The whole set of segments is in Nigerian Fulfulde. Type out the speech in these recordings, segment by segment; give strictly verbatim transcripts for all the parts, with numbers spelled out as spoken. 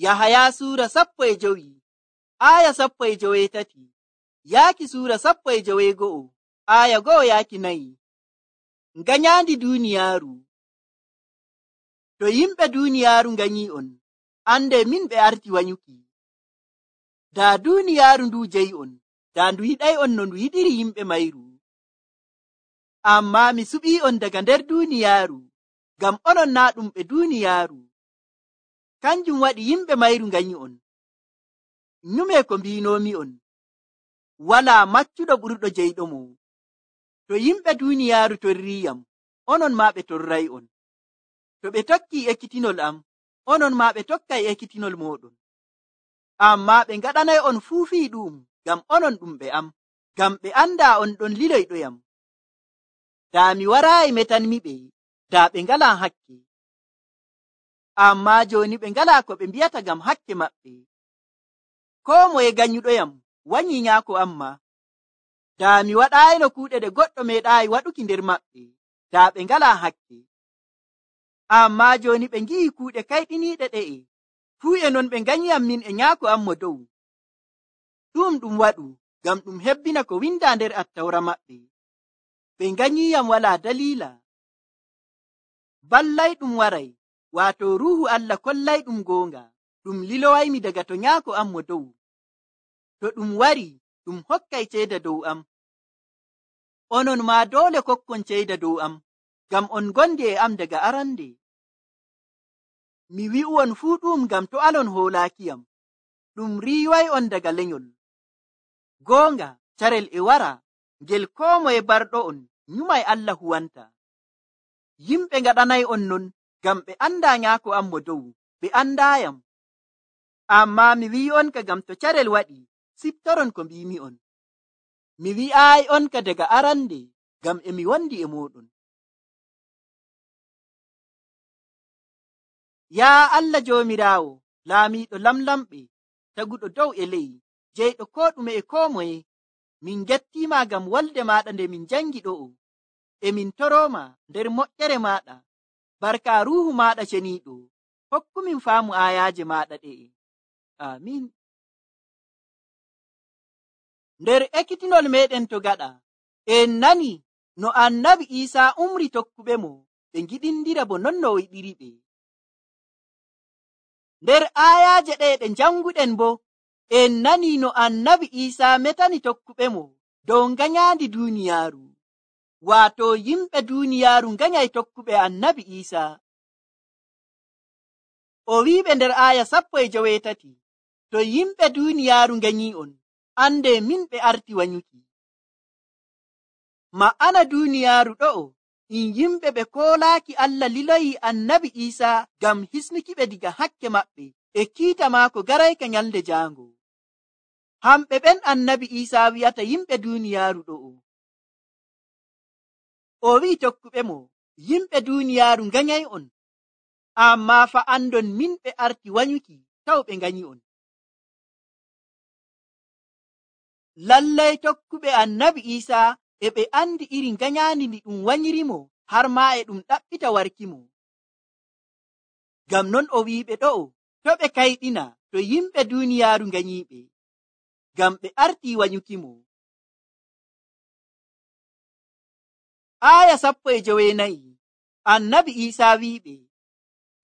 Yahaya suura sappo e jowi aya sappo e joweetati yaaki suura sappo e joweego'o aya go'o yaaki nayi. Nganyandi duuniyaaru. To yimɓe duuniyaaru nganyi'on, ande min ɓe arti wanyuki. Daa duuniyaaru ndu jeyi'on, daa ndu yiɗay'on no ndu yiɗiri yimɓe mayru. Ammaa mi suɓii'on daga nder duuniyaaru, ngam onon naa ɗum ɓe duuniyaaru. Kanjum waɗi yimɓe mayru nganyi'on. Nyume ko mbiinoomi'on, walaa maccuɗo ɓurɗo jeyɗomo. To yimɓe duuniyaaru torriiyam, onon maa ɓe torray'on. To ɓe tokkii ekkitinol am, onon maa ɓe tokkay ekkitinol mooɗon. Ammaa ɓe ngaɗanay'on fuu fii ɗu'um ngam onon ɗum ɓe am, ngam ɓe andaa on ɗon liloyɗoyam. Daa mi waraayi metanmiɓe, daa ɓe ngalaa hakke. Ammaa jooni ɓe ngalaa ko ɓe mbi'ata ngam hakke maɓɓe. Koo moye ganyuɗoyam wanyii nyaako am maa. Daa mi waɗaayino kuuɗe ɗe goɗɗo meeɗaayi waɗuki nder maɓɓe, daa ɓe ngalaa hakke. Ammaa jooni ɓe ngi'i kuuɗe kayɗiniiɗe ɗe'e, fuu e non ɓe nganyiyam min e nyaako am mo dow. Ɗum ɗum waɗu ngam ɗum hebbina ko windaa nder attawra maɓɓe. Ɓe nganyiyam walaa daliila. Ballayɗum waray, waato Ruuhu Allah kollayɗum goonga, ɗum lilowaymi daga to nyaako am mo dow. To ɗum wari, ɗum hokkay ceeda dow am. Onon maa doole kokkon ceeda dow am, ngam on ngondi e am daga arande. Mi wi'u'on fuu ɗum ngam to alon hoolaakiyam, ɗum riiway'on daga lenyol. Goonga, carel e wara, ngel koo moye barɗo'on nyumay Allah huwanta. Yimɓe ngaɗanay'on non ngam ɓe andaa nyaako am mo dow, ɓe andaayam. Ammaa mi wi'onka ngam to carel waɗi, siftoron ko mbiimi'on. Mi wi'aay'onka daga arande, ngam e mi wondi e mooɗon. Yaa Allah Joomiraawo, laamiiɗo lamlamɓe, taguɗo dow e ley, jeyɗo koo ɗume e koo moye, min gettiima ngam wolde maaɗa nde min jangi ɗo'o. E min torooma nder moƴƴere maaɗa, barka Ruuhu maaɗa ceniiɗo, hokkumin faamu aayaaje maaɗa ɗe'e. Amiin. Nder ekkitinol meeɗen to gaɗa, en nani no Annabi Iisaa umri tokkuɓe mo ɓe ngiɗindira bo non no o yiɗiri ɓe. Nder aayaaje ɗe ɗe janguɗen bo, en nani no Annabi Iisaa metani tokkuɓe mo dow nganyaandi duuniyaaru, waato yimɓe duuniyaaru nganyay tokkuɓe Annabi Iisaa. O wi'iɓe nder aaya sappo e joweetati, to yimɓe duuniyaaru nganyi'on, ande min ɓe arti wanyuki. Ma'ana duuniyaaru ɗo'o, in yimɓe ɓe koolaaki Allah liloyi Annabi Iisaa ngam hisnukiɓe diga hakke maɓɓe e kiita maako garayka nyalde jaango. Hamɓe ɓen Annabi Iisaa wi'ata yimɓe duuniyaaru ɗo'o. O wi'i tokkuɓe mo, yimɓe duuniyaaru nganyay'on, ammaa fa andon min ɓe arti wanyuki taw ɓe nganyi'on. Lallay tokkuɓe Annabi Iisaa e ɓe andi iri nganyaandi ndi ɗum wanyirimo har maa e ɗum ɗaɓɓita warkimo. Ngam non o wi'iɓe ɗo'o, to ɓe kayɗina to yimɓe duuniyaaru nganyiiɓe, ngam ɓe arti wanyukimo. Aaya sappo e joweenayi, Annabi Iisaa wi'iɓe,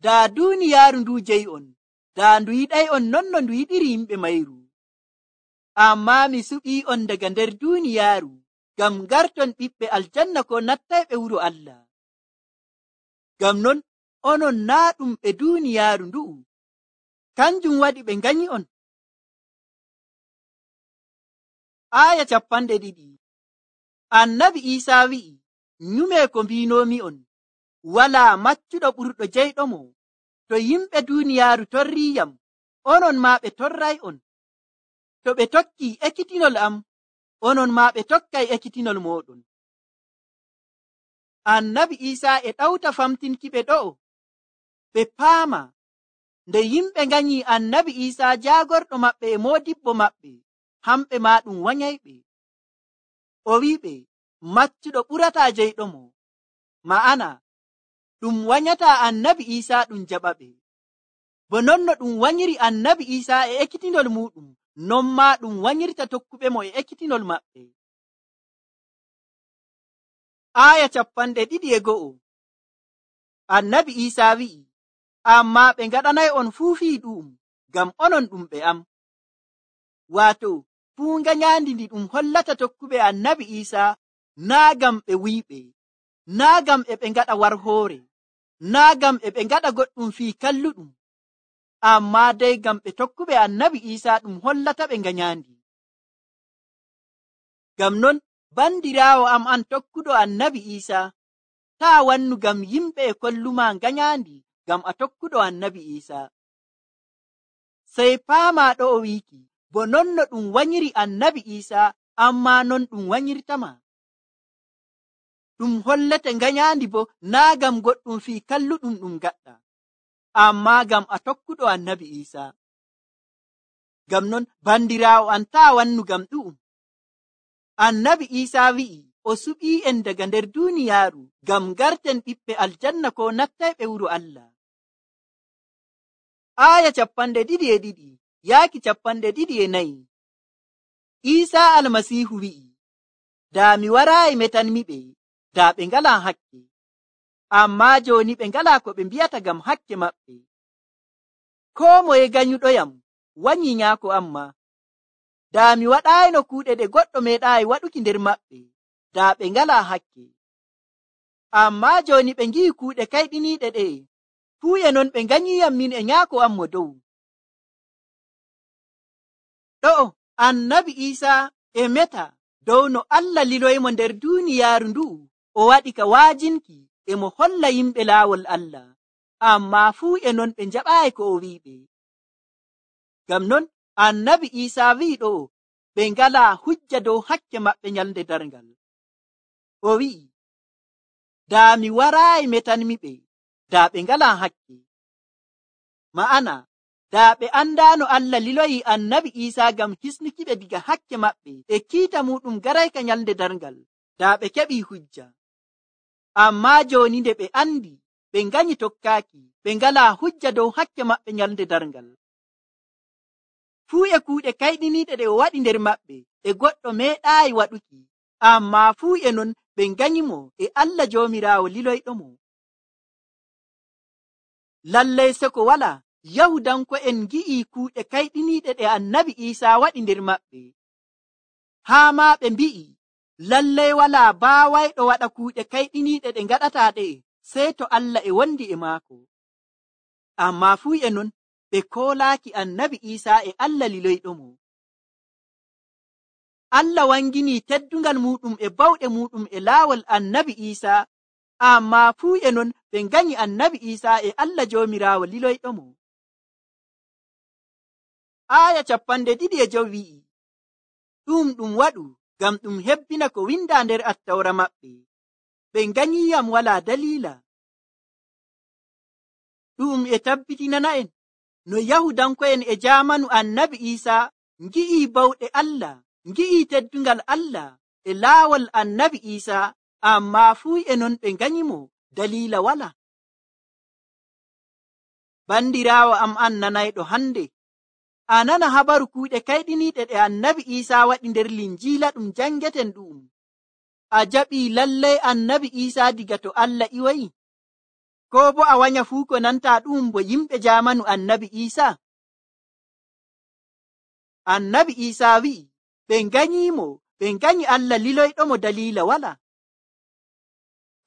daa duuniyaaru ndu jeyi'on, daa ndu yiɗay'on non no ndu yiɗiri yimɓe mayru. Ammaa mi suɓii'on daga nder duuniyaaru, ngam ngarton ɓiɓɓe aljanna ko nattayɓe wuro Allah. Ngam non onon naa ɗum ɓe duuniyaaru ndu'u, kanjum waɗi ɓe nganyi'on. Aaya cappanɗe ɗiɗi, Annabi Iisaa wi'i, nyume ko mbiinoomi'on, walaa maccuɗo ɓurɗo jeyɗomo. To yimɓe duuniyaaru torriiyam, onon maa ɓe torray'on. To ɓe tokkii ekkitinol am, onon maa ɓe tokkay ekkitinol mooɗon. Annabi Iisaa e ɗawta famtinkiɓe ɗo'o, ɓe paama nde yimɓe nganyii Annabi Iisaa jaagorɗo maɓɓe e moodibbo maɓɓe, hamɓe maa ɗum wanyayɓe. O wi'iɓe, maccuɗo ɓurataa jeyɗomo, ma'ana ɗum wanyataa Annabi Iisaa ɗum jaɓaɓe. bo non no ɗum wanyiri annabi Isa e ekkitinol muɗum, non ma ɗum wanyirta tokkuɓe mo e ekkitinol maɓɓe. Aya capanɗe ɗiɗi e go'o. Annabi Isa wi'i, amma ɓe ngaɗanay on fuu fii ɗu'um, ngam onon ɗum ɓe am. Waato fuu nganyandi ndi ɗum hollata tokkuɓe annabi Isa naa ngam ɓe wuyɓe, naa ngam e ɓe ngaɗa warhoore, naa ngam e ɓe ngaɗa goɗɗum fii kalluɗum, amma dai ngam ɓe tokkuɓe annabi Isa ɗum hollata ɓe nganyandi. Ngam non bandiraawo am an tokkuɗo annabi Isa, taa wannu ngam yimɓe e kolluma nganyandi ngam a tokkuɗo annabi Isa. Sey paama ɗo o wiiki, bo non no ɗum wanyiri annabi Isa, amma non ɗum wanyirtama. Ɗum hollete nganyandi bo naa ngam goɗɗum fii kalluɗum ɗum gaɗɗa, amma ngam a tokkuɗo annabi Isa. Ngam non bandiraawo an taa wannu ngam ɗu'um. Annabi Isa wi'i o suɓii en daga nder duuniyaaru ngam garten ɓiɓɓe aljanna ko nattayɓe wuro Allah. Aya capanɗe ɗiɗi e ɗiɗi yaaki capanɗe ɗiɗi e nayi. Isa almasiihu wi'i, daa mi waraayi metanmiɓe, daa ɓe ngalaa hakke, amma jooni ɓe ngalaa ko ɓe mbi'ata ngam hakke maɓɓe. Koo moye ganyuɗoyam wanyi nyaako amma. Daa mi waɗaayino kuuɗe ɗe goɗɗo meeɗaayi waɗuki nder maɓɓe, daa ɓe ngalaa hakke. Amma jooni ɓe ngi'i kuuɗe kayɗiniiɗe ɗe, fuu e non ɓe nganyiyam min e nyaako am mo dow. Ɗo'o annabi Isa e meta dow no Allah liloymo nder duuniyaaru ndu'u o waɗi ka waajinki e mo holla yimɓe laawol Allah, amma fuu e non ɓe njaɓaayi ko o wi'iɓe. Ngam non annabi Isa wi'i ɗo ɓe ngalaa hujja dow hakke maɓɓe nyalnde darngal. O wi'i, daa mi waraayi metanmiɓe, daa ɓe ngalaa hakke. Ma'ana, daa ɓe andaano Allah liloyi annabi Isa ngam hisnukiɓe diga hakke maɓɓe e kiita muɗum garayka nyalnde darngal, daa ɓe keɓii hujja. Amma jooni nde ɓe andi, ɓe nganyi tokkaaki, ɓe ngalaa hujja dow hakke maɓɓe nyalnde darngal. Fuu e kuuɗe kayɗiniiɗe ɗe o waɗi nder maɓɓe e goɗɗo meeɗaayi waɗuki, amma fuu e non ɓe nganyimo e Allah Joomiraawo liloyɗomo. Lallay seko walaa, Yahudanko'en ngi'ii kuuɗe kayɗiniiɗe ɗe annabi Isa waɗi nder maɓɓe, haa maa ɓe mbi'i, lallay walaa baawayɗo waɗa kuuɗe kayɗiniiɗe ɗe ngaɗataa ɗe, sey to Allah e wondi e maako. Amma fuu e non ɓe koolaaki annabi Isa e Allah liloyɗomo. Allah wanginii teddungal muɗum e bawɗe muɗum e laawol annabi Isa, amma fuu e non ɓe nganyi annabi Isa e Allah Joomiraawo liloyɗomo. Aya capanɗe ɗiɗi e jowi wi'i, ɗum ɗum waɗu ngam ɗum hebbina ko windaa nder attawra maɓɓe, ɓe nganyiyam walaa daliila. Ɗum e tabbitinana'en no Yahudanko'en e jaamanu annabi Isa ngi'ii bawɗe Allah, ngi'ii teddungal Allah e laawol annabi Isa, amma fuu e non ɓe nganyimo daliila wala. Bandiraawo am an nanayɗo hande, a nana habaru kuuɗe kayɗiniiɗe ɗe annabi Isa waɗi nder linjiila ɗum jangeten ɗu'um. A jaɓii lallay annabi Isa diga to Allah iwayi? Ko bo a wanya fuu ko nanta ɗum bo yimɓe jaamanu annabi Isa? Annabi Isa wi'i, ɓe nganyimo, ɓe nganyi Allah liloyɗomo daliila wala.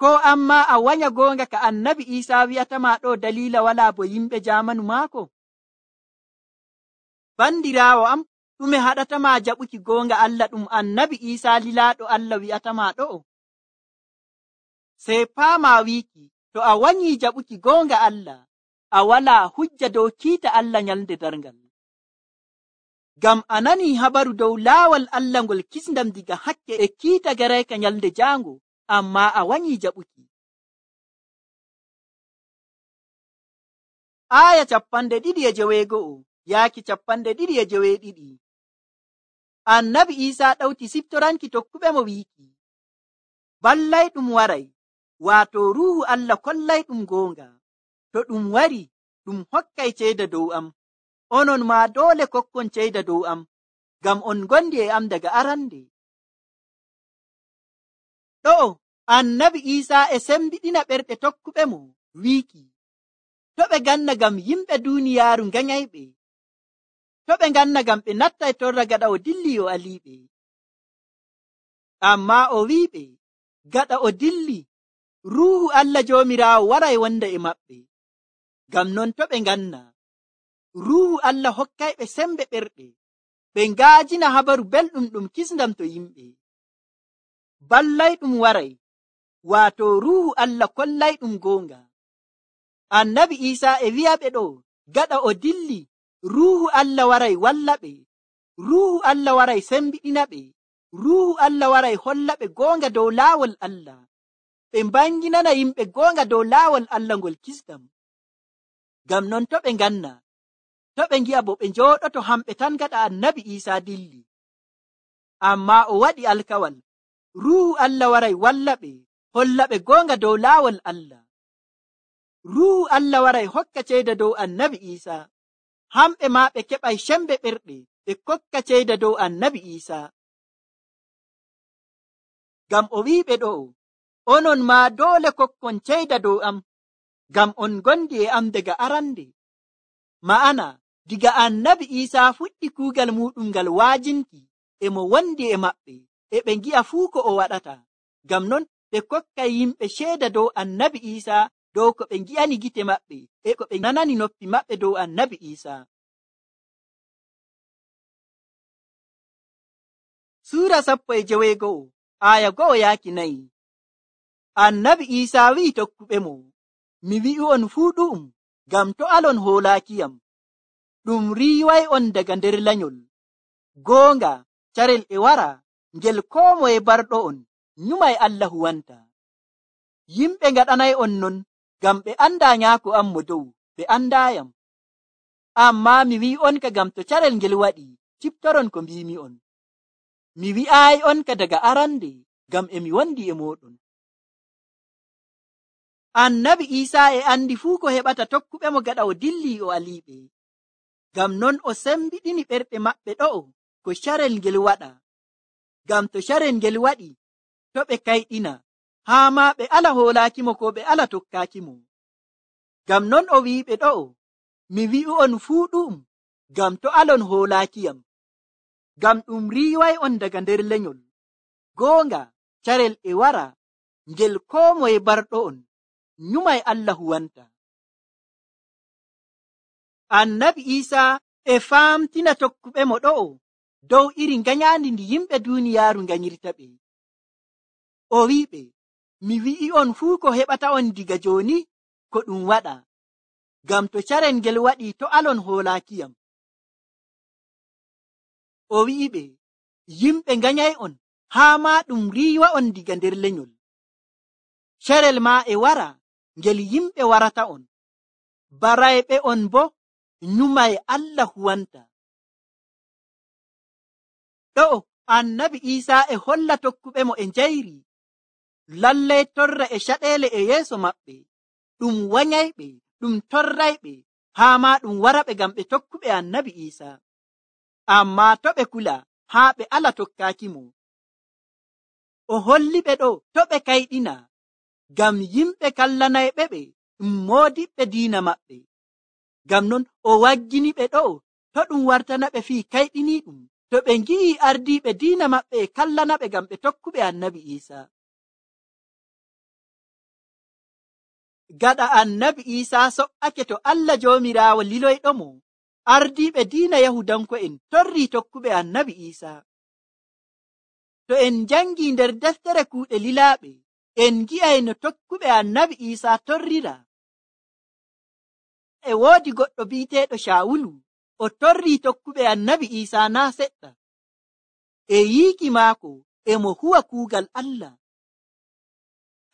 Ko amma a wanya goonga ka annabi Isa wi'atama ɗo daliila wala bo yimɓe jaamanu maako? Bandiraawo am, ɗume haɗatama jaɓuki goonga Allah ɗum annabi Isa lilaaɗo Allah wi'atama ɗo? Sey paama wiiki, to a wanyi jaɓuki goonga Allah, a walaa hujja dow kiita Allah nyalnde darngal. Ngam a nanii habaru dow laawol Allah ngol kisndam diga hakke e kiita garayka nyalnde jaango, amma a wanyi jaɓuki. Aya capanɗe ɗiɗi e joweego'o yaaki capanɗe ɗiɗi e joweeɗiɗi. Annabi Isa ɗawti siftoranki tokkuɓe mo wiiki, ballayɗum waray, waato ruuhu Allah kollayɗum goonga. To ɗum wari, ɗum hokkay ceyda dow am, onon maa doole kokkon ceyda dow am, ngam on ngondi e am daga arande. Ɗo'o annabi Iisaa e sembiɗina ɓerɗe tokkuɓe mo wiiki, to ɓe nganna ngam yimɓe duuniyaaru nganyayɓe, to ɓe nganna ngam ɓe nattay torra gaɗa o dilli o aliiɓe. Ammaa o wi'iɓe, gaɗa o dilli, Ruuhu Allah Joomiraawo waray wonda e maɓɓe. Ngam non to ɓe nganna, Ruuhu Allah hokkayɓe sembe ɓerɗe, ɓe ngaajina habaru belɗum ɗum kisndam to yimɓe. Ballayɗum waray, waato Ruuhu Allah kollayɗum goonga. Annabi Iisaa e wi'aɓe ɗo, gaɗa o dilli, Ruuhu Allah waray wallaɓe, Ruuhu Allah waray sembiɗinaɓe, Ruuhu Allah waray hollaɓe goonga dow laawol Allah, ɓe mbanginana yimɓe goonga dow laawol Allah ngol kisdam. Ngam non to ɓe nganna, to ɓe ngi'a bo ɓe njooɗoto hamɓe tan gaɗa annabi Iisaa dilli. Ammaa o waɗi alkawal, Ruuhu Allah waray wallaɓe, hollaɓe goonga dow laawol Allah. Ruuhu Allah waray hokka ceyda dow annabi Iisaa, hamɓe maa ɓe keɓay sembe ɓerɗe ɓe kokka ceyda dow annabi Iisaa. Ngam o wi'iɓe ɗo'o, onon maa doole kokkon ceyda dow am, ngam on ngondi e am daga arande. Ma'ana, diga annabi Iisaa fuɗɗi kuugal muɗum ngal waajinki, e mo wondi e maɓɓe, e ɓe ngi'a fuu ko o waɗata. Ngam non ɓe kokkay yimɓe ceeda dow annabi Iisaa dow ko ɓe ngi'ani gite maɓɓe, e ko ɓe nanani noppi maɓɓe dow annabi Iisaa. Suura sappo e joweego'o, aya go'o yaaki nayi. Annabi Iisaa wi'i tokkuɓe mo, mi wi'u'on fuu ɗu'um, ngam to alon hoolaakiyam. Ɗum riiway on daga nder lanyol. Goonga, carel e wara, ngel koo moye barɗo'on, nyumay Allah huwanta. Yimɓe ngaɗanay on non, ngam ɓe andaa nyaako am mo dow, ɓe andaayam. Ammaa mi wi'on ka ngam to carel ngel waɗi, ciptoron ko mbiimi on. Mi wi'aayi on ka daga arande, ngam e mi wondi e mooɗon. Annabi Iisaa e andi fuu ko heɓata tokkuɓe mo gaɗa o dilli o aliiɓe. Ngam non o sembiɗini ɓerɗe maɓɓe ɗo'o ko carel ngel waɗa. Ngam to carel ngel waɗi, to ɓe kayɗina, haa maa ɓe ala hoolaakimo ko ɓe ala tokkaakimo. Ngam non o wi'iɓe ɗo'o, mi wi'u'on fuu ɗu'um, ngam to alon hoolaakiyam. Ngam ɗum riiway on daga nder lenyol. Goonga, carel e wara, ngel koo moye barɗo'on, nyumay Allah huwanta. Annabi Iisaa e faamtina tokkuɓe mo ɗo'o dow iri nganyaandi ndi yimɓe duuniyaaru nganyirta ɓe. O wi'iɓe, mi wi'i'on fuu ko heɓata on diga jooni ko ɗum waɗa, ngam to carel ngel waɗi to alon hoolaakiyam. O wi'iɓe, yimɓe nganyay on, haa maa ɗum riiwa on diga nder lenyol. Carel maa e wara, ngel yimɓe warata on, barayɓe on bo nyumay Allah huwanta. Ɗo'o annabi Iisaa e holla tokkuɓe mo e njayri, lallay torra e caɗeele e yeeso maɓɓe, ɗum wanyayɓe, ɗum torrayɓe, haa maa ɗum waraɓe ngam ɓe tokkuɓe annabi Iisaa. Ammaa to ɓe kula, haa ɓe ala tokkaaki mo. O holliɓe ɗo to ɓe kayɗina, ngam yimɓe kallanayɓe ɓe ɗum moodiɓɓe diina maɓɓe. Ngam non o waggini ɓe ɗo to ɗum wartana ɓe fii kayɗiniiɗum, to ɓe ngi'i ardiiɓe diina maɓɓe e kallana ɓe ngam ɓe tokkuɓe annabi Iisaa. Gaɗa annabi Iisaa so'ake to Allah Joomiraawo liloyɗo mo, ardiiɓe diina Yahudanko'en torrii tokkuɓe annabi Iisaa. To en njangii nder deftere kuuɗe lilaaɓe, en ngi'ay no tokkuɓe annabi Iisaa torrira. E woodi goɗɗo bi'eteeɗo Caawulu, o torrii tokkuɓe annabi Iisaa naa seɗɗa. E yiiki maako e mo huwa kuugal Allah.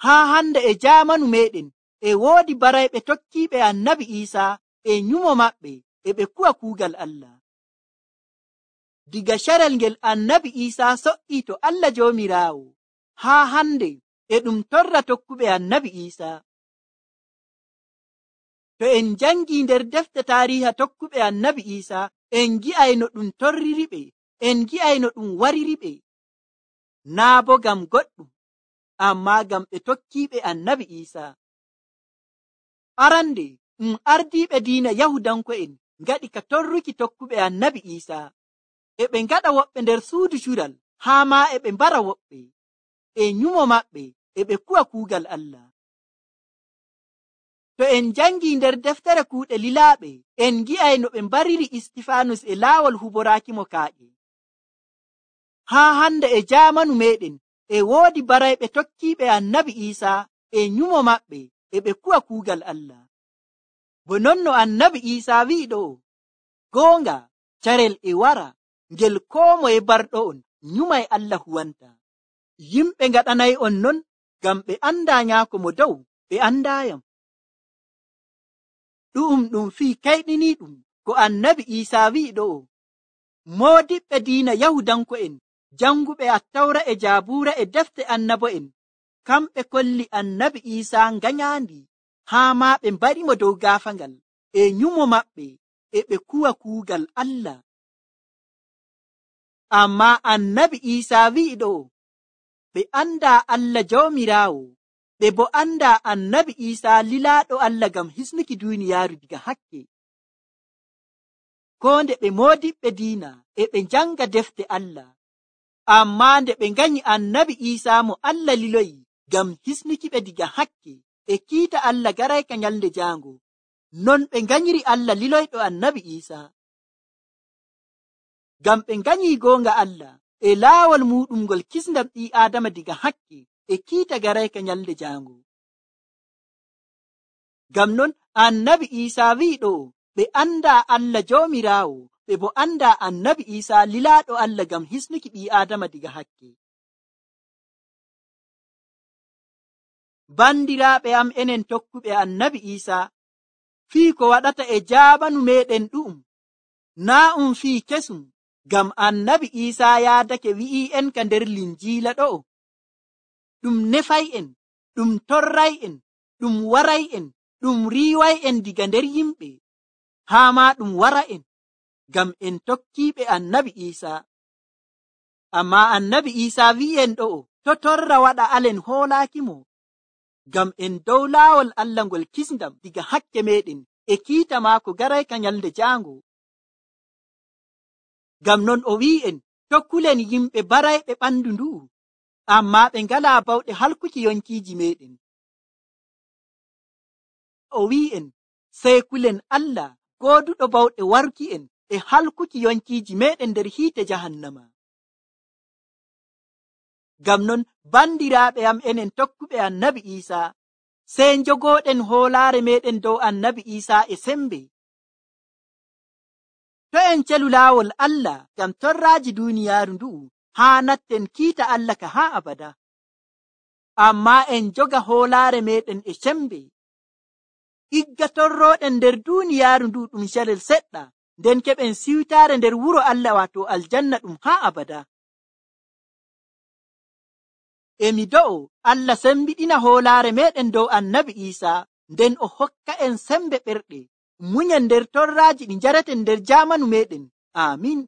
Haa hande e jaamanu meeɗen, e woodi barayɓe tokkiiɓe annabi Iisaa e nyumo maɓɓe e ɓe kuwa kuugal Allah. Diga carel ngel annabi Iisaa so'ii to Allah Joomiraawo, haa hande e ɗum torra tokkuɓe annabi Iisaa. To en jangi nder defte taariha tokkuɓe annabi Isa, en gi'ay no ɗum torriri ɓe, en gi'ay no ɗum wariri ɓe, naa bo gam goɗɗum, amma gam ɓe tokkiɓe annabi Isa. Arande ɗum ardiɓe diina Yahudanko'en ngaɗi ka torruki tokkuɓe annabi Isa, e ɓe ngaɗa woɓɓe nder suudu cural, haa ma e ɓe mbara woɓɓe, e nyumo maɓɓe e ɓe kuwa kuugal Allah. To en jangi nder deftere kuuɗe lilaaɓe, en gi'ay no ɓe mbariri Istifanus e laawol huboraakimo kaaƴe. Haa hande e jaamanu meɗen e woodi barayɓe tokkiɓe annabi Isa e nyumo maɓɓe e ɓe kuwa kuugal Allah. Bo non no annabi Isa wi'i ɗo, goonga carel e wara ngel koo moye barɗo'on nyumay Allah huwanta. Yimɓe ngaɗanay on non ngam ɓe anda nyaako mo dow, ɓe andayam. Ɗu'um ɗum fii kayɗiniiɗum ko annabi Isa wi'i ɗo. Moodiɓɓe diina Yahudanko'en, janguɓe Attawra e Jaabuura e defte annabo'en, kamɓe kolli annabi Isa nganyandi, haa ma ɓe mbarimo dow gaafangal e nyumo maɓɓe e ɓe kuwa kuugal Allah. Amma annabi Isa wi'i ɗo, ɓe anda Allah Jawmiraawo, ɓe bo anda annabi Isa lilaaɗo Allah ngam hisnuki duuniyaaru diga hakke. Ko nde ɓe moodiɓɓe diina e ɓe janga defte Allah, amma nde ɓe nganyi annabi Isa mo Allah liloyi ngam hisnuki ɓe diga hakke e kiita Allah garayka nyalde jaango, non ɓe nganyiri Allah liloyɗo annabi Isa. Ngam ɓe nganyi goonga Allah e laawol muɗum ngol kisndam ɓii Aadama diga hakke e kiita garayka nyalde jaango. Ngam non annabi Isa wi'i ɗo, ɓe anda Allah Jawmiraawo, ɓe bo anda annabi Isa lilaaɗo Allah ngam hisnuki ɓii Aadama diga hakke. Bandiraaɓe am enen tokkuɓe annabi Isa, fii ko waɗata e jaamanu meɗen ɗu'um, naa um fii kesum, ngam annabi Isa yaadake wi'i en ka nder linjiila ɗo, ɗum nefay en, ɗum torray en, ɗum waray en, ɗum riiway en diga nder yimɓe, haa ma ɗum wara en, ngam en tokkiiɓe annabi Isa. Amma annabi Isa wi'en ɗo, to torra waɗa alen hoolaakimo, ngam en dow laawol Allah ngol kisndam diga hakke meɗen e kiita maako garayka nyalde jaango. Ngam non o wi'en, tokkulen yimɓe barayɓe ɓandu ndu, amma ɓe ngalaa bawɗe halkuki yonkiiji meɗen. O wi'en, sey kulen Allah gooduɗo bawɗe waruki en e halkuki yonkiiji meɗen nder hiite jahannama. Ngam non bandiraaɓe am enen tokkuɓe annabi Isa, sey njogooɗen hoolaare meɗen dow annabi Isa e sembe. To en celu laawol Allah ngam torraaji duuniyaaru ndu'u, haa natten kiita Allah ka haa abada. Amma en joga hoolaare meɗen e sembe, igga torrooɗen nder duuniyaaru ndu ɗum carel seɗɗa, nden keɓen siwtaare nder wuro Allah wato aljanna ɗum haa abada. Emi do'o Allah sembiɗina hoolaare meɗen dow annabi Isa, nden o hokka en sembe ɓerɗe, munyen nder torraaji ɗi njareten nder jaamanu meɗen. Amin.